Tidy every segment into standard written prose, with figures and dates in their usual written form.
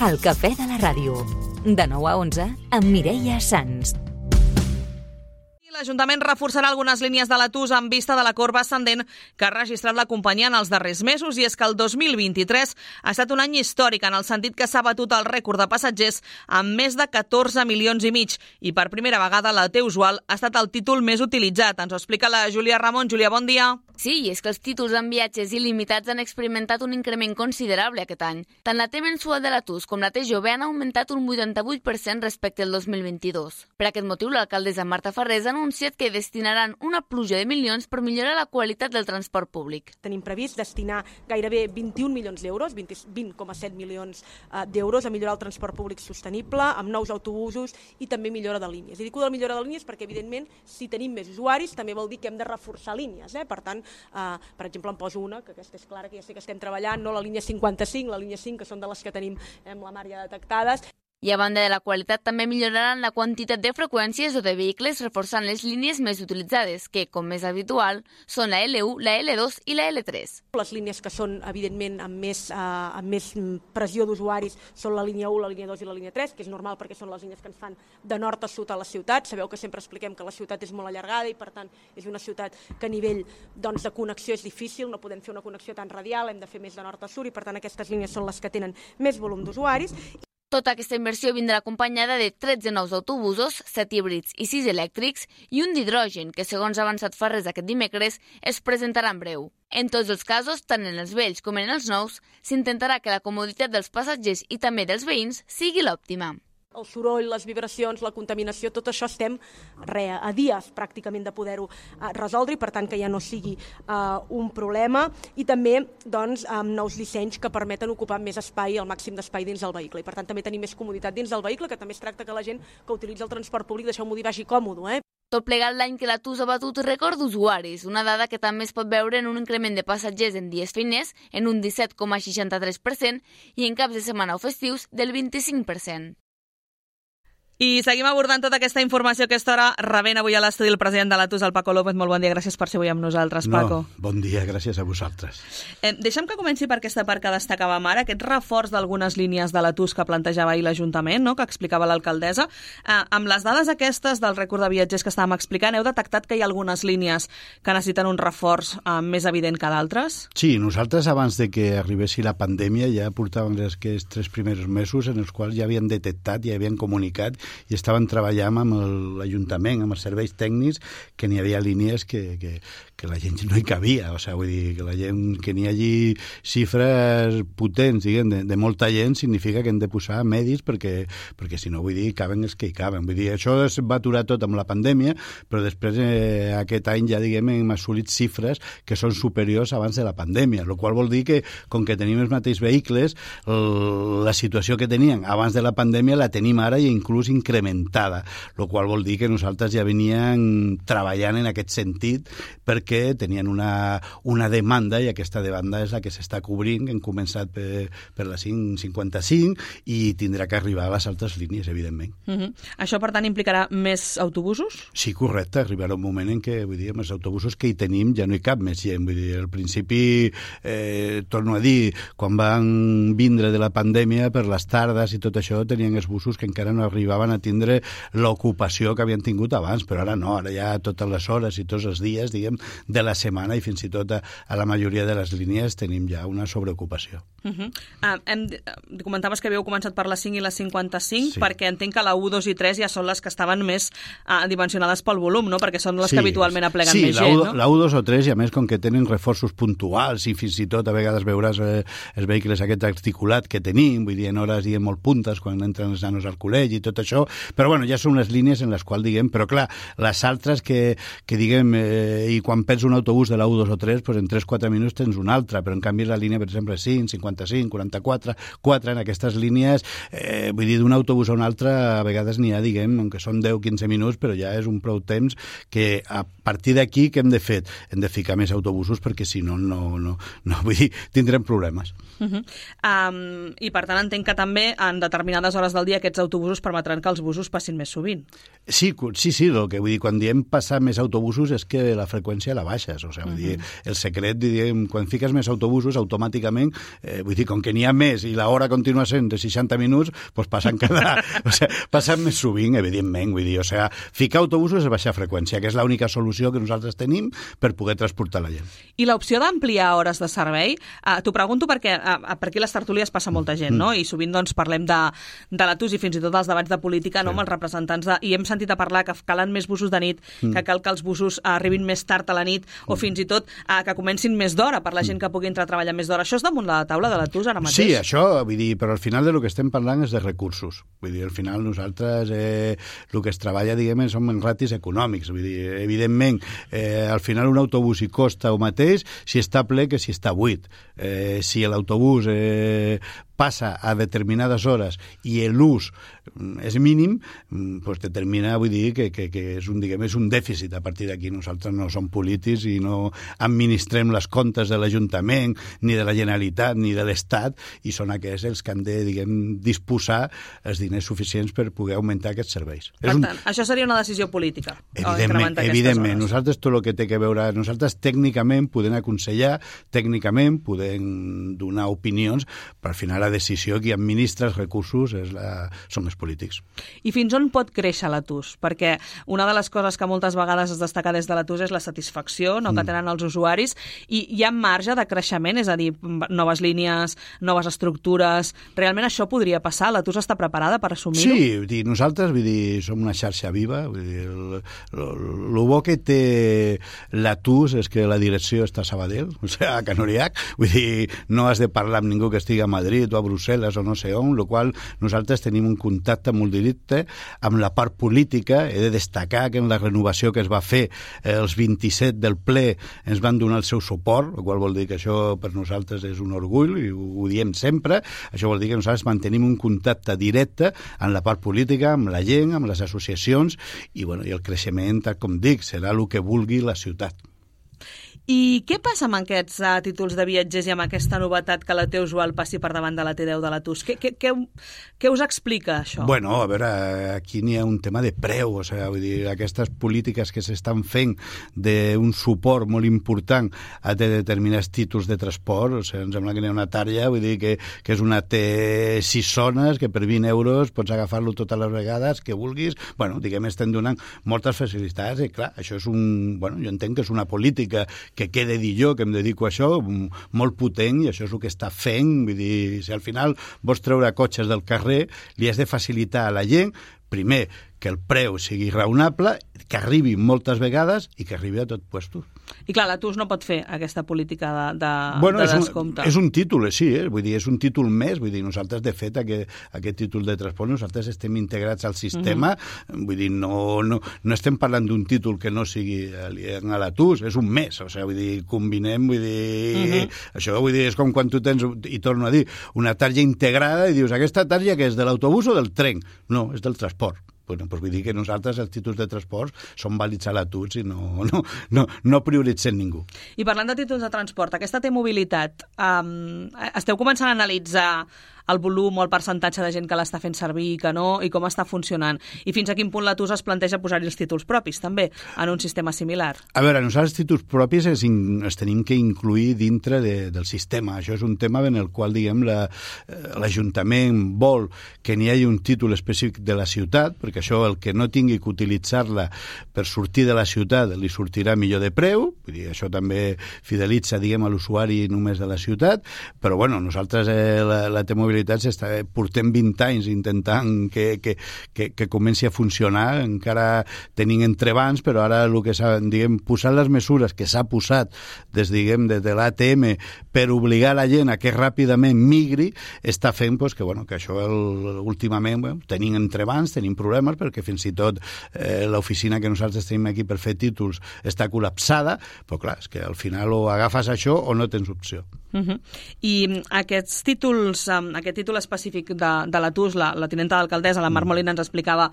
El cafè de la ràdio. De 9 a 11 amb Mireia Sans. L'Ajuntament reforçarà algunes línies de l'Atus en vista de la corba ascendent que ha registrat la companyia en els darrers mesos, i és que el 2023 ha estat un any històric en el sentit que s'ha batut el rècord de passatgers amb més de 14 milions i mig, i per primera vegada la T-Usual ha estat el títol més utilitzat. Ens ho explica la Júlia Ramon. Júlia, bon dia. Sí, i és que els títols en viatges il·limitats han experimentat un increment considerable aquest any. Tant la T mensual de l'Atus com la T jove han augmentat un 88% respecte al 2022. Per aquest motiu, l'alcaldessa Marta Farrés ha anunciat que destinaran una pluja de milions per millorar la qualitat del transport públic. Tenim previst destinar gairebé 21 milions d'euros, 20,7 milions d'euros a millorar el transport públic sostenible, amb nous autobusos i també millora de línies. I dic de millora de línies perquè, evidentment, si tenim més usuaris, també vol dir que hem de reforçar línies. Per tant, per exemple, en poso una, que aquesta és clara, que ja sé que estem treballant, no la línia 55, la línia 5, que són de les que tenim amb la mar ja detectades. I a banda de la qualitat, també milloraran la quantitat de freqüències o de vehicles, reforçant les línies més utilitzades, que, com és habitual, són la L1, la L2 i la L3. Les línies que són, evidentment, amb més pressió d'usuaris són la línia 1, la línia 2 i la línia 3, que és normal perquè són les línies que ens fan de nord a sud a la ciutat. Sabeu que sempre expliquem que la ciutat és molt allargada i, per tant, és una ciutat que a nivell de connexió és difícil, no podem fer una connexió tan radial, hem de fer més de nord a sud i, per tant, aquestes línies són les que tenen més volum d'usuaris. Tota aquesta inversió vindrà acompanyada de 13 nous autobusos, 7 híbrids i 6 elèctrics i un d'hidrogen que, segons ha avançat Farrés aquest dimecres, es presentarà en breu. En tots els casos, tant en els vells com en els nous, s'intentarà que la comoditat dels passatgers i també dels veïns sigui l'òptima. El soroll, les vibracions, la contaminació, tot això estem a dies pràcticament de poder-ho resoldre i, per tant, que ja no sigui un problema, i també amb nous dissenys que permeten ocupar més espai, el màxim d'espai dins del vehicle, i per tant també tenir més comoditat dins del vehicle, que també es tracta que la gent que utilitza el transport públic, deixeu-m'ho dir, vagi còmode. Tot plegat l'any que l'Atus ha batut rècord d'usuaris, una dada que també es pot veure en un increment de passatgers en dies feiners en un 17,63% i en caps de setmana o festius del 25%. I seguim abordant tota aquesta informació que a aquesta hora rebent avui a l'estudi el president de l'Atus, el Paco López. Molt bon dia, gràcies per ser avui amb nosaltres, Paco. Bon dia, gràcies a vosaltres. Deixa'm que comenci per aquesta part que destacàvem ara, aquest reforç d'algunes línies de l'Atus que plantejava ahir l'Ajuntament, no?, que explicava l'alcaldessa. Amb les dades aquestes del rècord de viatgers que estàvem explicant, heu detectat que hi ha algunes línies que necessiten un reforç més evident que d'altres? Sí, nosaltres abans de que arribessi la pandèmia ja portàvem aquests 3 primers mesos en els quals ja havien detectat, ja havien comunicat i estaven treballant amb l'Ajuntament, amb els serveis tècnics, que n'hi havia línies que la gent no hi cabia. O sigui, vull dir, que la gent, que n'hi hagi xifres potents, diguem, de molta gent, significa que hem de posar medis perquè si no, vull dir, caben els que hi caben. Vull dir, això es va aturar tot amb la pandèmia, però després aquest any ja, diguem, hem assolit xifres que són superiors abans de la pandèmia, el qual vol dir que, com que tenim els mateixos vehicles, la situació que tenien abans de la pandèmia la tenim ara i inclús incrementada, el qual vol dir que nosaltres ja veníem treballant en aquest sentit perquè tenien una demanda i aquesta demanda és la que s'està cobrint. Hem començat per la 555 i tindrà que arribar a les altres línies, evidentment. Això, per tant, implicarà més autobusos? Sí, correcte. Arribarà un moment en què, vull dir, amb els autobusos que hi tenim ja no hi cap més gent. Vull dir, al principi, torno a dir, quan van vindre de la pandèmia per les tardes i tot això, tenien els busos que encara no arribaven a tindre l'ocupació que havien tingut abans, però ara no, ara ja totes les hores i tots els dies, diguem, de la setmana i fins i tot a la majoria de les línies tenim ja una sobreocupació. Comentaves que havíeu començat per la 5 i la 55, sí, perquè entenc que la 1, 2 i 3 ja són les que estaven més dimensionades pel volum, no? Perquè són les que habitualment apleguen més gent, no? Sí, la 1, 2 o 3, i a més, com que tenen reforços puntuals i fins i tot a vegades veuràs els vehicles aquest articulat que tenim, vull dir, en hores diguem molt puntes quan entren els nanos al col·legi i tot això, però bueno, ja són unes línies en les quals, diguem, però clar, les altres que diguem, i quan perds un autobús de la 1, 2 o 3, doncs en 3-4 minuts tens un altre, però en canvi la línia, per exemple, 5, 55, 44, 4, en aquestes línies, vull dir, d'un autobús a un altre, a vegades n'hi ha, diguem, aunque són 10-15 minuts, però ja és un prou temps que a partir d'aquí què hem de fer? Hem de ficar més autobusos perquè si no, vull dir, tindrem problemes. I per tant entenc que també en determinades hores del dia aquests autobusos permetran fan que els busos passin més sovint. Sí, el que vull dir, quan diem passar més autobusos és que la freqüència la baixes, o sigui, vull dir, el secret, diguem, quan fiques més autobusos, automàticament, vull dir, com que n'hi ha més i l'hora continua sent de 60 minuts, doncs passen passen més sovint, evidentment, vull dir, o sigui, ficar autobusos és baixar freqüència, que és l'única solució que nosaltres tenim per poder transportar la gent. I l'opció d'ampliar hores de servei, t'ho pregunto perquè per aquí les tertúlies passa molta gent, no? I sovint doncs parlem de la TUS i fins i tot els debats de política, no? Amb els representants i hem sentit a parlar que calen més busos de nit, que cal que els busos arribin més tard a la nit o fins i tot que comencin més d'hora per la gent que pugui entrar a treballar més d'hora. Això és damunt la taula de la TUS ara mateix? Sí, això, vull dir, però al final del que estem parlant és de recursos. Vull dir, al final nosaltres el que es treballa, diguem, són en ratis econòmics. Vull dir, evidentment, al final un autobús hi costa el mateix si està ple que si està buit. Si l'autobús passa a determinades hores i l'ús és mínim, doncs determina, vull dir, que és un dèficit. A partir d'aquí nosaltres no som polítics i no administrem les comptes de l'Ajuntament, ni de la Generalitat, ni de l'Estat, i són aquests els que han de, diguem, disposar els diners suficients per poder augmentar aquests serveis. Per tant, això seria una decisió política. Evidentment. Nosaltres tot el que té que veure... Nosaltres tècnicament podem aconsellar, tècnicament podem donar opinions, però al final la decisió qui administra els recursos són els polítics. I fins on pot créixer la TUS? Perquè una de les coses que moltes vegades es destaca des de la TUS és la satisfacció que tenen els usuaris, i hi ha marge de creixement, és a dir, noves línies, noves estructures... Realment això podria passar? La TUS està preparada per assumir-ho? Sí, vull dir, nosaltres som una xarxa viva. Vull dir, el bo que té la TUS és que la direcció està a Sabadell, o sigui, a Canoriac. Vull dir, no has de parlar amb ningú que estigui a Madrid o a Brussel·les o no sé on, el qual nosaltres tenim un contacte molt directe amb la part política. He de destacar que en la renovació que es va fer els 27 del ple ens van donar el seu suport, el qual vol dir que això per nosaltres és un orgull i ho diem sempre. Això vol dir que nosaltres mantenim un contacte directe amb la part política, amb la gent, amb les associacions i el creixement, tal com dic, serà el que vulgui la ciutat. I què passa amb aquests títols de viatgers i amb aquesta novetat que la T-Usual passi per davant de la T10 de la TUS? Què us explica això? Bueno, a veure, aquí n'hi ha un tema de preu, o sigui, vull dir, aquestes polítiques que s'estan fent d'un suport molt important a determinats títols de transport, o sigui, em sembla que n'hi ha una tària, vull dir que és una T6 zones, que per 20 euros pots agafar-lo totes les vegades que vulguis. Bueno, diguem, estem donant moltes facilitats i clar, això és jo entenc que és una política que quede dir jo, que em dedico a això, molt potent, i això és el que està fent. Vull dir, si al final vols treure cotxes del carrer, li has de facilitar a la gent, primer, que el preu sigui raonable, que arribi moltes vegades i que arribi a tot puestos. I clar, la TUS no pot fer aquesta política de descompte. És un títol, sí, vull dir, és un títol més, vull dir, nosaltres, de fet, aquest títol de transport, nosaltres estem integrats al sistema, vull dir, no estem parlant d'un títol que no sigui a la TUS, és un més, o sigui, vull dir, combinem, vull dir, això, vull dir, és com quan tu tens, i torno a dir, una tarja integrada i dius, aquesta tarja que és de l'autobús o del tren? No, és del transport. Doncs vull dir que nosaltres els títols de transport són vàlids a la TUS i no prioritzem ningú. I parlant de títols de transport, aquesta T-mobilitat, esteu començant a analitzar el volum o el percentatge de gent que l'està fent servir i que no, i com està funcionant? I fins a quin punt la TUS es planteja posar-hi els títols propis, també, en un sistema similar? A veure, nosaltres els títols propis els tenim que incluir dintre del sistema. Això és un tema en el qual, diguem, l'Ajuntament vol que n'hi hagi un títol específic de la ciutat, perquè això, el que no tingui que utilitzar-la per sortir de la ciutat, li sortirà millor de preu, vull dir, això també fidelitza, diguem, a l'usuari només de la ciutat, però, bueno, nosaltres la T-mobilitat portem 20 anys intentant que comenci a funcionar, encara tenim entrebancs, però ara el que s'ha, diguem, posar les mesures que s'ha posat des de l'ATM per obligar la gent a que ràpidament migri, està fent que això últimament tenim entrebancs, tenim problemes, perquè fins i tot l'oficina que nosaltres tenim aquí per fer títols està col·lapsada, però clar, és que al final o agafes això o no tens opció. I aquests títols, aquest aquest títol específic de l'Atus, la tinenta d'alcaldessa, la Mar Molina, ens explicava,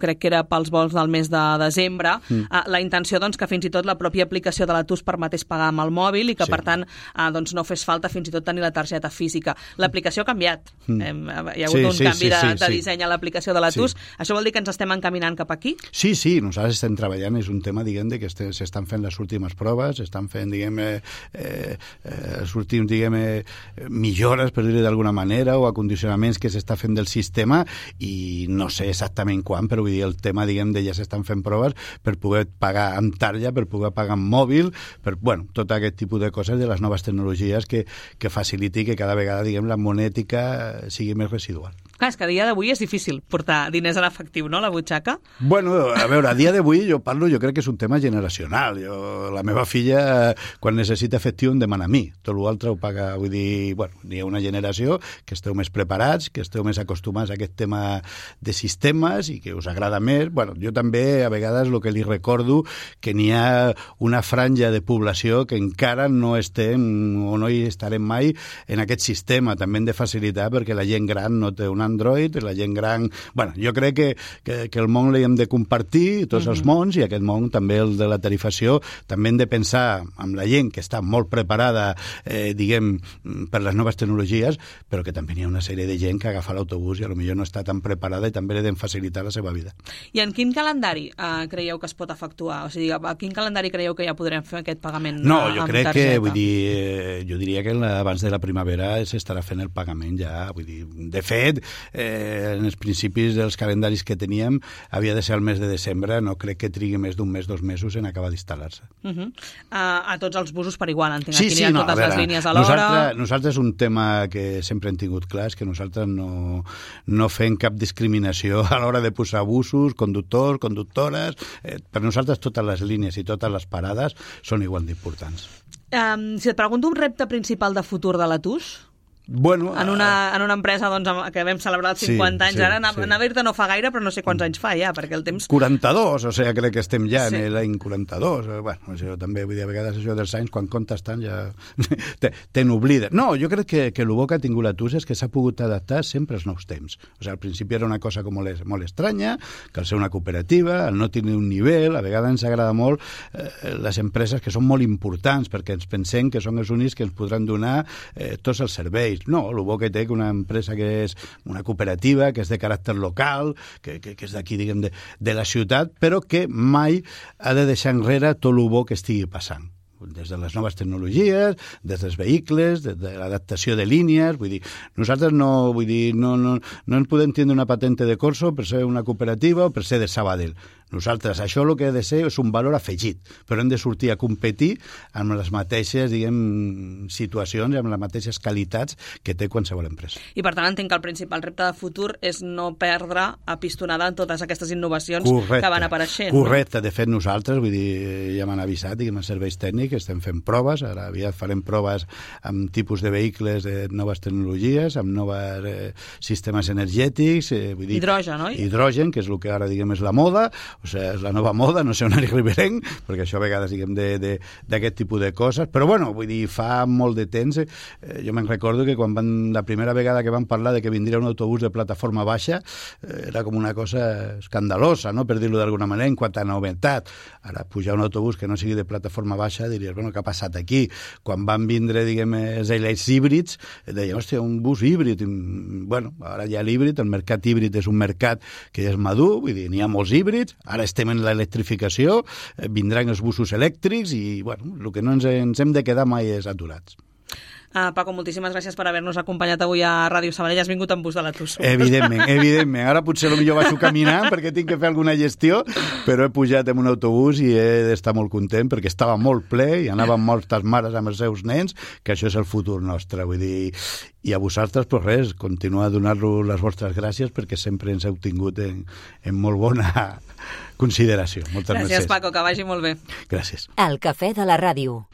crec que era pels vols del mes de desembre, la intenció doncs, que fins i tot la pròpia aplicació de l'Atus permetés pagar amb el mòbil i que, per tant, doncs, no fes falta fins i tot tenir la targeta física. L'aplicació ha canviat. Hi ha hagut un canvi de disseny a l'aplicació de l'Atus. Això vol dir que ens estem encaminant cap aquí? Sí, nosaltres estem treballant. És un tema, diguem, que s'estan fent les últimes proves, estan fent, diguem, els últims, diguem, millores, per dir-ho d'alguna manera, o acondicionaments que s'està fent del sistema, i no sé exactament quan, però vull dir, el tema, diguem, ja s'estan fent proves per poder pagar amb tarja, per poder pagar amb mòbil, per, bueno, tot aquest tipus de coses de les noves tecnologies que faciliti que cada vegada, diguem, la monètica sigui més residual. Clar, és que a dia d'avui és difícil portar diners en efectiu, no?, a la butxaca. Bueno, a veure, a dia d'avui jo crec que és un tema generacional. La meva filla, quan necessita efectiu, em demana a mi. Tot l'altre ho paga, vull dir, bueno, hi ha una generació que esteu més preparats, que esteu més acostumats a aquest tema de sistemes i que us agrada més. Bueno, jo també, a vegades, el que li recordo que n'hi ha una franja de població que encara no estem o no hi estarem mai en aquest sistema. També hem de facilitar perquè la gent gran no té un Android, la gent gran... Bueno, jo crec que el món l'hem de compartir, tots els mons, i aquest món també, el de la tarifació, també hem de pensar amb la gent que està molt preparada, diguem, per les noves tecnologies, però que també hi ha una sèrie de gent que agafa l'autobús i potser no està tan preparada i també li hem de facilitar la seva vida. I en quin calendari creieu que es pot efectuar? O sigui, a quin calendari creieu que ja podrem fer aquest pagament amb targeta? No, jo crec que, vull dir, jo diria que abans de la primavera s'estarà fent el pagament ja, vull dir, de fet, en els principis dels calendaris que teníem havia de ser el mes de desembre, no crec que trigui més d'un mes, 2 mesos en acabar d'instal·lar-se. A tots els busos per igual, entenc. Aquí n'hi ha totes les línies a l'hora. Nosaltres un tema que sempre hem tingut clar és que nosaltres no fem cap discriminació a l'hora de posar busos, conductors, conductores. Per nosaltres totes les línies i totes les parades són igual d'importants. Si et pregunto un repte principal de futur de l'Atus... Bueno, en una empresa doncs, que vam celebrar els 50 anys, ara anar a Berta no fa gaire, però no sé quants anys fa ja, perquè el temps... 42, o sigui, crec que estem ja en l'any 42. Bueno, això també, vull dir, a vegades això dels anys, quan comptes tant, ja te n'oblides. No, jo crec que el bo que ha tingut l'Atus és que s'ha pogut adaptar sempre als nous temps. O sigui, al principi era una cosa com molt estranya, que al ser una cooperativa, al no tenir un nivell, a vegades ens agrada molt les empreses que són molt importants, perquè ens pensem que són els únics que ens podran donar tots els serveis. No, el bo que té que una empresa que és una cooperativa, que és de caràcter local, que és d'aquí, diguem, de la ciutat, però que mai ha de deixar enrere tot el bo que estigui passant. Des de les noves tecnologies, des dels vehicles, des de l'adaptació de línies, vull dir, nosaltres no en podem tindre una patente de corso per ser una cooperativa o per ser de Sabadell. Nosaltres, això el que ha de ser és un valor afegit, però hem de sortir a competir amb les mateixes, diguem, situacions, amb les mateixes qualitats que té qualsevol empresa. I per tant entenc que el principal repte de futur és no perdre apistonada en totes aquestes innovacions que van apareixent. Correcte, de fet nosaltres, vull dir, ja m'han avisat, diguem, els serveis tècnics, estem fent proves, ara aviat farem proves amb tipus de vehicles de noves tecnologies, amb nous sistemes energètics, vull dir... Hidrogen, oi? Hidrogen, que és el que ara, diguem, és la moda, o sigui, és la nova moda, no sé on arribarem, perquè això a vegades, diguem, d'aquest tipus de coses, però bueno, vull dir, fa molt de temps, jo me'n recordo que quan la primera vegada que van parlar de que vindria un autobús de plataforma baixa, era com una cosa escandalosa, no?, per dir-ho d'alguna manera, en quant a novetat. Ara, pujar un autobús que no sigui de plataforma baixa, diries, bueno, què ha passat aquí? Quan van vindre, diguem, els híbrids, deien, hòstia, un bus híbrid. Bueno, ara ja l'híbrid, el mercat híbrid és un mercat que ja és madur, vull dir, n'hi ha molts híbrids, ara estem en l'electrificació, vindran els busos elèctrics i, bueno, el que no ens hem de quedar mai és aturats. Paco, moltíssimes gràcies per haver-nos acompanyat avui a Ràdio Sabadell. Has vingut amb bus de l'Atus. Evidentment. Ara potser potser baixo caminant perquè tinc que fer alguna gestió, però he pujat en un autobús i he d'estar molt content perquè estava molt ple i anaven moltes mares amb els seus nens, que això és el futur nostre. Vull dir, i a vosaltres, doncs res, continuar a donar-vos les vostres gràcies perquè sempre ens heu tingut en molt bona consideració. Moltes gràcies. Gràcies, Paco, que vagi molt bé. Gràcies. El cafè de la ràdio.